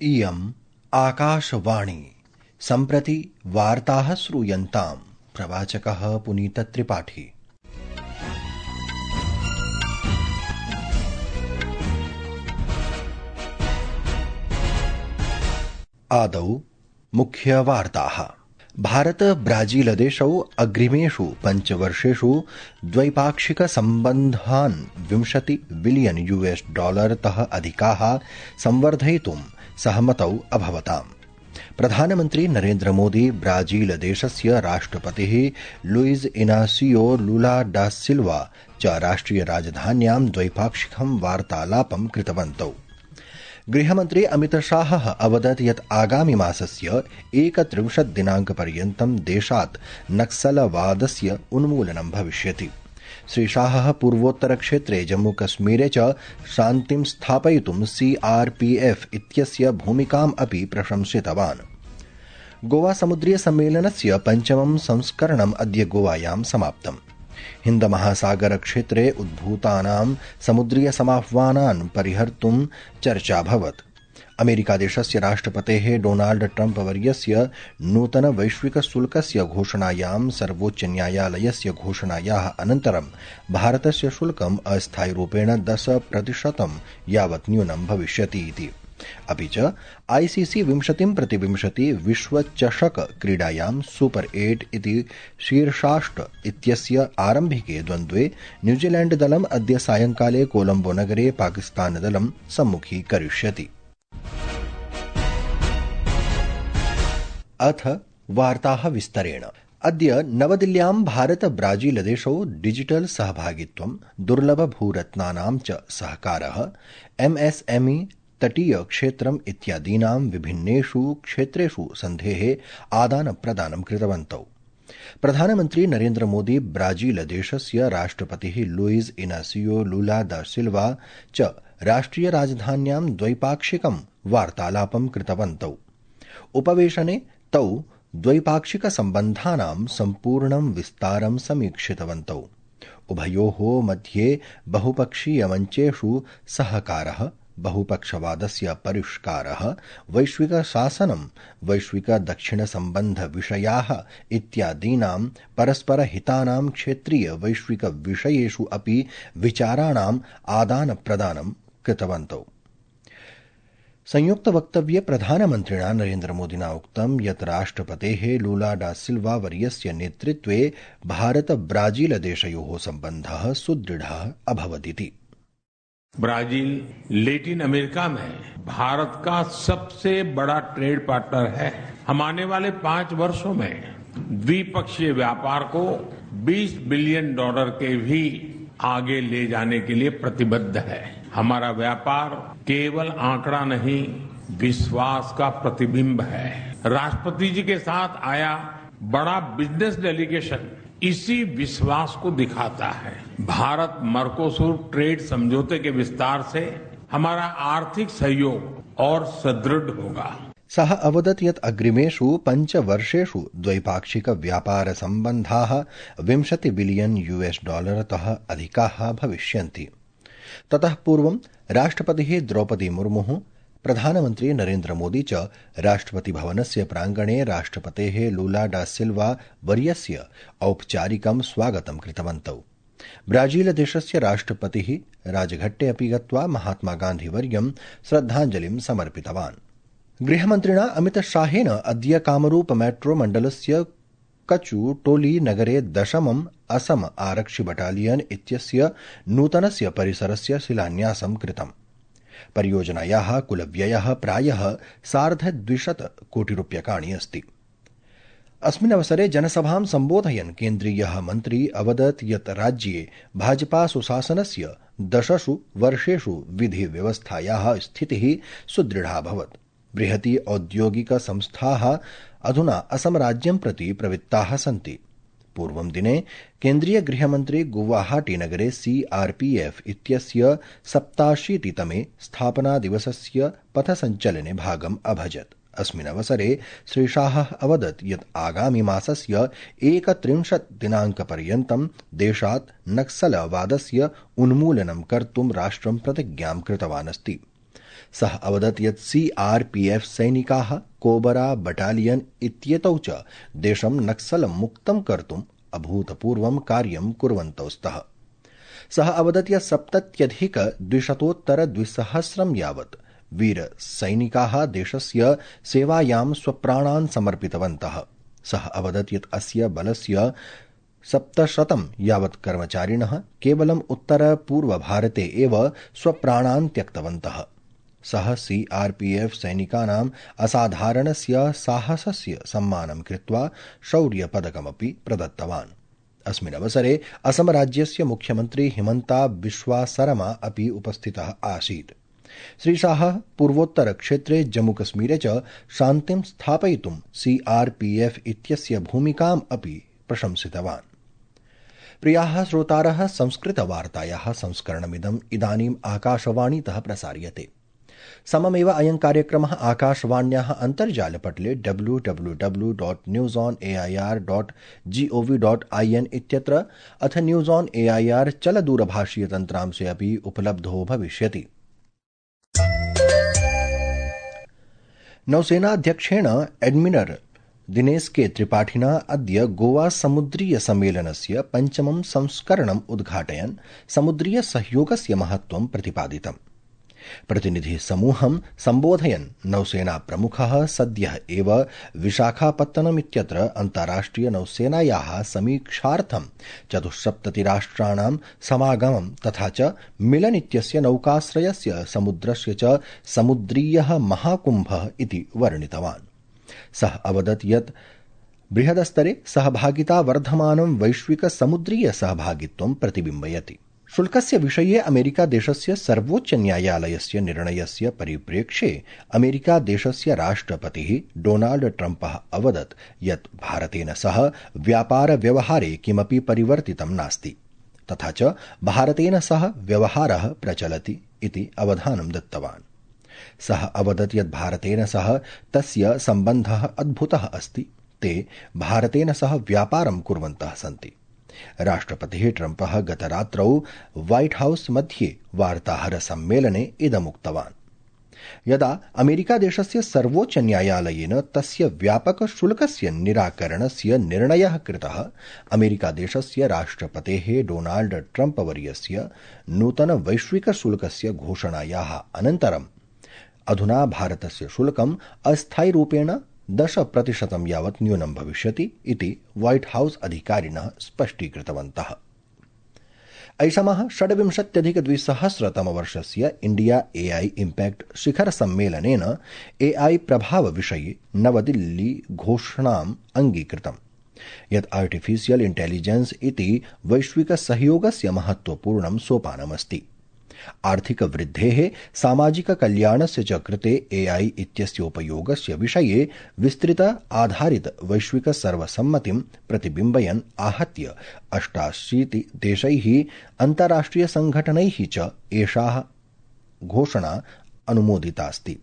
इयम् आकाशवाणी। सम्प्रति वार्ताः श्रूयन्ताम्। प्रवाचकः पुनीतत्रिपाठी। आदौ मुख्यवार्ताः। भारत ब्राजीलदेशौ अग्रिमेषु 5 वर्षेषु द्वैपाक्षिकसम्बन्धान् $20 बिलियन तः अधिकाः संवर्धयितुं सहमतौ अभवताम्। प्रधानमन्त्री नरेन्द्र मोदी ब्राजीलदेशस्य राष्ट्रपतिः लुइज इनासियो लुला डा सिल्वा च राष्ट्रियराजधान्यां द्वैपाक्षिकं वार्तालापं कृतवन्तौ। गृहमन्त्री अमितशाहः अवदत् यत् आगामि मासस्य 31 दिनाङ्कपर्यन्तं देशात् नक्सलवादस्य उन्मूलनं भविष्यति। श्रीशाहः पूर्वोत्तरक्षेत्रे जम्मूकश्मीरे च शान्तिं स्थापयितुं CRPF इत्यस्य भूमिकाम् अपि प्रशंसितवान्। गोवा समुद्रीय सम्मेलनस्य 5मं संस्करणम् अद्य गोवायां समाप्तम्। हिन्दमहासागरक्षेत्रे उद्भूतानां समुद्रीयसमाह्वानान् परिहर्तुं चर्चाभवत्। अमेरिकादेशस्य राष्ट्रपतेः डोनाल्ड ट्रम्प वर्यस्य नूतन वैश्विकशुल्कस्य घोषणायां सर्वोच्चन्यायालयस्य घोषणायाः अनन्तरं भारतस्य शुल्कम् अस्थायिरूपेण 10% यावत् न्यूनं भविष्यति इति। अपि च ICC 20x20 विश्वचषक क्रीडायां सुपर 8 इति शीर्षाष्ट इत्यस्य आरम्भिके द्वन्द्वे न्यूजीलैण्डदलम् अद्य सायंकाले कोलंबो नगरे पाकिस्तानदलं सम्मुखीकरिष्यति। अथ वार्ताः विस्तरेण। अद्य नवदिल्ल्यां भारत ब्राजीलदेशौ डिजिटल सहभागित्वं, दुर्लभभूरत्नानां च सहकारः, MSME, तटीय क्षेत्रम् इत्यादीनां विभिन्नेषु क्षेत्रेषु सन्धेः आदानप्रदानं कृतवन्तौ। प्रधानमन्त्री नरेन्द्र मोदी ब्राजीलदेशस्य राष्ट्रपतिः लुइज इनासियो लुला दा सिल्वा च राष्ट्रियराजधान्यां द्वैपाक्षिकं वार्तालापं कृतवन्तौ। उपवेशने तौ द्वैपाक्षिकसम्बन्धानां सम्पूर्णं विस्तारं समीक्षितवन्तौ। उभयोः मध्ये बहुपक्षीयमञ्चेषु सहकारः, बहुपक्षवादस्य परिष्कारः, वैश्विकशासनं, वैश्विकदक्षिणसम्बन्धविषयाः इत्यादीनां परस्परहितानां क्षेत्रीय वैश्विकविषयेषु अपि विचाराणाम् आदानप्रदानं कृतवन्तौ। संयुक्तवक्तव्ये प्रधानमन्त्रिणा नरेन्द्र मोदिना उक्तं यत् राष्ट्रपतेः लुला डा सिल्वा वर्यस्य नेतृत्वे भारत ब्राजीलदेशयोः सम्बन्धः सुदृढः अभवदिति। ब्राजील लैटिन अमेरिका में भारत का सबसे बड़ा ट्रेड पार्टनर है। हम आने वाले 5 वर्षों में द्विपक्षीय व्यापार को $20 बिलियन के भी आगे ले जाने के लिए प्रतिबद्ध है। हमारा व्यापार केवल आंकड़ा नहीं, विश्वास का प्रतिबिंब है। राष्ट्रपति जी के साथ आया बड़ा बिजनेस डेलीगेशन इसी विश्वास को दिखाता है। भारत मर्कोसूर ट्रेड समझौते के विस्तार से हमारा आर्थिक सहयोग और सुदृढ़ होगा। सः अवदत् यत् अग्रिमेषु 5 वर्षेषु द्वैपाक्षिक व्यापार सम्बन्धाः $20 बिलियन तः अधिकाः भविष्यन्ति। ततः पूर्वं राष्ट्रपतिः द्रौपदी मुर्मुः, प्रधानमन्त्री नरेन्द्र मोदी च राष्ट्रपति भवनस्य प्राङ्गणे राष्ट्रपतेः लुला डा सिल्वा वर्यस्य औपचारिकं स्वागतं कृतवन्तौ। ब्राजीलदेशस्य राष्ट्रपतिः राजघट्टे अपि गत्वा महात्मा गान्धीवर्यं श्रद्धाञ्जलिं समर्पितवान्। गृहमन्त्रिणा अमितशाहेन अद्य कामरूप मेट्रो मण्डलस्य कचुटोली नगरे 10मं असम आरक्षि बटालियन इत्यस्य नूतनस्य परिसरस्य शिलान्यासं कृतम्। परियोजनायाः कुलव्ययः प्रायः 250 कोटिरूप्यकाणि अस्ति। अस्मिन् अवसरे जनसभां सम्बोधयन् केन्द्रीयः मन्त्री अवदत् यत् राज्ये भाजपा सुशासनस्य 10 वर्षेषु विधिव्यवस्थायाः स्थितिः सुदृढाभवत्। बृहती औद्योगिकसंस्थाः अधुना असम राज्यं प्रति प्रवृत्ताः सन्ति। पूर्वं दिने केन्द्रीय गृहमन्त्री गुवाहाटी नगरे CRPF इत्यस्य 87तमे स्थापनादिवसस्य पथसञ्चलने भागम् अभजत्। अस्मिन् अवसरे श्रीशाहः अवदत् यत् आगामि मासस्य 31 दिनाङ्कपर्यन्तं देशात् नक्सलवादस्य उन्मूलनं कर्तुं राष्ट्रं प्रतिज्ञां कृतवान् अस्ति। सः अवदत् यत् CRPF सैनिकाः कोबरा बटालियन इत्येतौ च देशं नक्सलं मुक्तं कर्तुम् अभूतपूर्वं कार्यं कुर्वन्तौ स्तः। सः अवदत् यत् 70,200 यावत् वीरसैनिकाः देशस्य सेवायां स्वप्राणान् समर्पितवन्तः। सः अवदत् यत् अस्य बलस्य 700 यावत् कर्मचारिणः केवलम् उत्तरपूर्वभारते एव स्वप्राणान् त्यक्तवन्तः। सः CRPF सैनिकानाम् असाधारणस्य साहसस्य सम्मानं कृत्वा शौर्यपदकमपि प्रदत्तवान्। अस्मिन् अवसरे असमराज्यस्य मुख्यमन्त्री हिमन्ता बिश्वा सरमा अपि उपस्थितः आसीत्। श्रीशाहः पूर्वोत्तरक्षेत्रे जम्मूकश्मीरे च शान्तिं स्थापयितुं CRPF इत्यस्य भूमिकाम् अपि प्रशंसितवान्। प्रियाः श्रोतारः, संस्कृतवार्तायाः संस्करणमिदम् इदानीम् आकाशवाणीतः प्रसार्यते। सममेव अयं कार्यक्रमः आकाशवाण्याः अन्तर्जालपटले www.newsonair.gov.in इत्यत्र अथ न्यूज़ ऑन AIR चलदूरभाषीयतन्त्रांशे अपि उपलब्धो भविष्यति। नौसेनाध्यक्षेण एडमिरल् दिनेश के त्रिपाठिना अद्य गोवा समुद्रीय सम्मेलनस्य 5मं संस्करणम् उद्घाटयन् समुद्रीय सहयोगस्य महत्त्वं प्रतिपादितम्। प्रतिनिधि समूहं सम्बोधयन् नौसेना प्रमुखः सद्यः एव विशाखापत्तनमित्यत्र अन्ताराष्ट्रिय नौसेनायाः समीक्षार्थं 74 राष्ट्राणां समागमं तथा च मिलन इत्यस्य नौकाश्रयस्य समुद्रस्य च समुद्रीयः महाकुम्भः इति वर्णितवान्। सः अवदत् यत् बृहदस्तरे सहभागिता वर्धमानं वैश्विक समुद्रीय सहभागित्वं प्रतिबिम्बयति। शुल्कस्य विषये अमेरिकादेशस्य सर्वोच्चन्यायालयस्य निर्णयस्य परिप्रेक्ष्ये अमेरिकादेशस्य राष्ट्रपतिः डोनाल्ड ट्रम्पः अवदत् यत् भारतेन सह व्यापारव्यवहारे किमपि परिवर्तितं नास्ति तथा च भारतेन सह व्यवहारः प्रचलति इति अवधानं दत्तवान्। सः अवदत् यत् भारतेन सह तस्य सम्बन्धः अद्भुतः अस्ति। ते भारतेन सह व्यापारं कुर्वन्तः सन्ति। राष्ट्रपतिः ट्रम्पः गतरात्रौ व्हाइट हाउस मध्ये वार्ताहरसम्मेलने इदमुक्तवान्। यदा अमेरिकादेशस्य सर्वोच्चन्यायालयेन तस्य व्यापकशुल्कस्य निराकरणस्य निर्णयः कृतः, अमेरिकादेशस्य राष्ट्रपतेः डोनाल्ड ट्रम्प वर्यस्य नूतन वैश्विकशुल्कस्य घोषणायाः अनन्तरम् अधुना भारतस्य शुल्कम् अस्थायिरूपेण 10% यावत् न्यूनं भविष्यति इति व्हाइट हाउस अधिकारिणः स्पष्टीकृतवन्तः। ऐषमः 26-2000 इंडिया AI इम्पैक्ट शिखर सम्मेलनेन AI प्रभावविषये नवदिल्ली घोषणाम् अङ्गीकृतम् यत् आर्टिफिशियल इंटेलिजेंस इति वैश्विक सहयोगस्य महत्त्वपूर्णं सोपानमस्ति। आर्थिकवृद्धेः सामाजिककल्याणस्य च कृते AI इत्यस्योपयोगस्य विषये विस्तृत आधारित वैश्विक सर्वसम्मतिं प्रतिबिम्बयन् आहत्य 88 देशैः अन्ताराष्ट्रियसङ्घटनैः च एषा घोषणा अनुमोदितास्ति।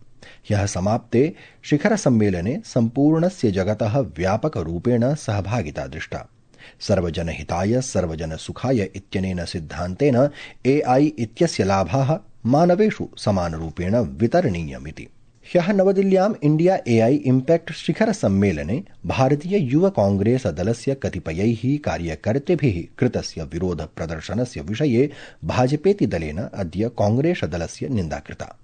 ह्यः समाप्ते शिखरसम्मेलने सम्पूर्णस्य जगतः व्यापकरूपेण सहभागिता दृष्टा। सर्वजनहिताय सर्वजनसुखाय इत्यनेन सिद्धान्तेन AI इत्यस्य लाभाः मानवेषु समानरूपेण वितरणीयमिति। ह्यः नवदिल्ल्याम् इंडिया AI इम्पैक्ट शिखरसम्मेलने भारतीय युव कांग्रेस दलस्य कतिपयैः कार्यकर्तृभिः कृतस्य विरोधप्रदर्शनस्य विषये भाजपेति दलेन अद्य कांग्रेस दलस्य निन्दा कृता।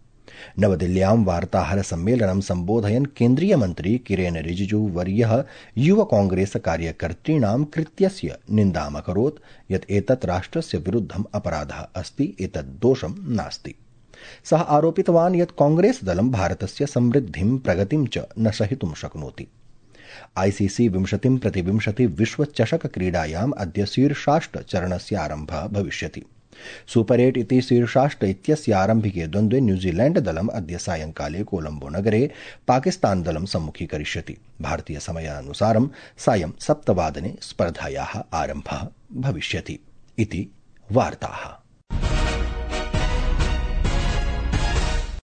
नवदिल्ल्यां वार्ताहरसम्मेलनं सम्बोधयन् केन्द्रीयमन्त्री किरेन रिजिजू वर्यः युव कांग्रेस कार्यकर्तॄणां कृत्यस्य निन्दामकरोत् यत् एतत् राष्ट्रस्य विरुद्धम् अपराधः अस्ति, एतत् दोषं नास्ति। सः आरोपितवान् यत् कांग्रेस दलं भारतस्य समृद्धिं प्रगतिं च न सहितुं शक्नोति। ICC 20x20 विश्वचषक क्रीडायाम् अद्य शीर्षाष्ट चरणस्य आरम्भः भविष्यति। सुपर 8 इति शीर्षाष्ट इत्यस्य आरम्भिके द्वन्द्वे न्यूजीलैण्ड दलम् अद्य सायंकाले कोलंबो नगरे पाकिस्तान दलं सम्मुखीकरिष्यति। भारतीय समयानुसारं सायं 7 वादने स्पर्धायाः आरम्भः भविष्यति इति वार्ताः।